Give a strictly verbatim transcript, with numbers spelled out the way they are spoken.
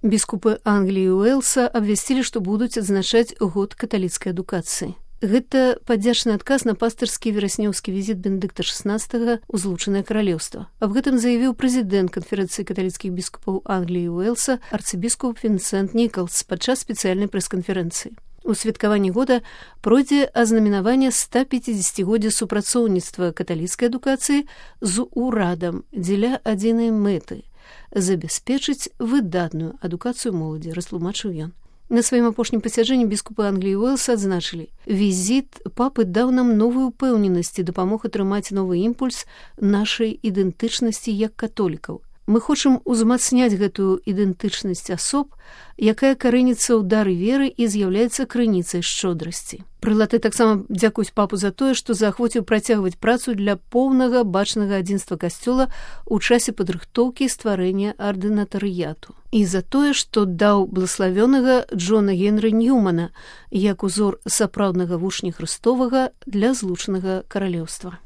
Біскупы Англіі і Уэльса абвясцілі, што будуць адзначаць год каталіцкай адукацыі. Гэта падзячны адказ на пастырскі вераснёўскі візіт Бенедыкта шаснаццатага ў Злучанае Каралеўства. Аб гэтым заявіў прэзідэнт канферэнцыі каталіцкіх біскупаў Англіі і Уэльса арцыбіскуп Вінсент Нікалс падчас спецыяльнай прэс-канферэнцыі. У святкаванні года пройдзе азнаменаванне ста пяцідзесяцігоддзя супрацоўніцтва каталіцкай адукацыі з урадам дзеля адзінай мэты – забяспечыць выдатную адукацыю моладзі, растлумачыў ён. На сваім апошнім пасяджэнні біскупы Англіі і Уэльса адзначылі: візіт папы даў нам новую ўпэўненасць і дапамог атрымаць новы імпульс нашай ідэнтычнасці як католікаў. Мы хочам узмацняць гэтую ідэнтычнасць асоб, якая карэніцца ў дары веры і з'яўляецца крыніцай шчодрасці. Прылаты таксама дзякуюць папу за тое, што заахвоціў працягваць працу для поўнага бачнага адзінства касцёла ў часе падрыхтоўкі і стварэння ардынатарыяту. І за тое, што даў блаславёнага Джона Генры Ньюмана як узор сапраўднага вучня Хрыстовага для Злучанага Каралеўства.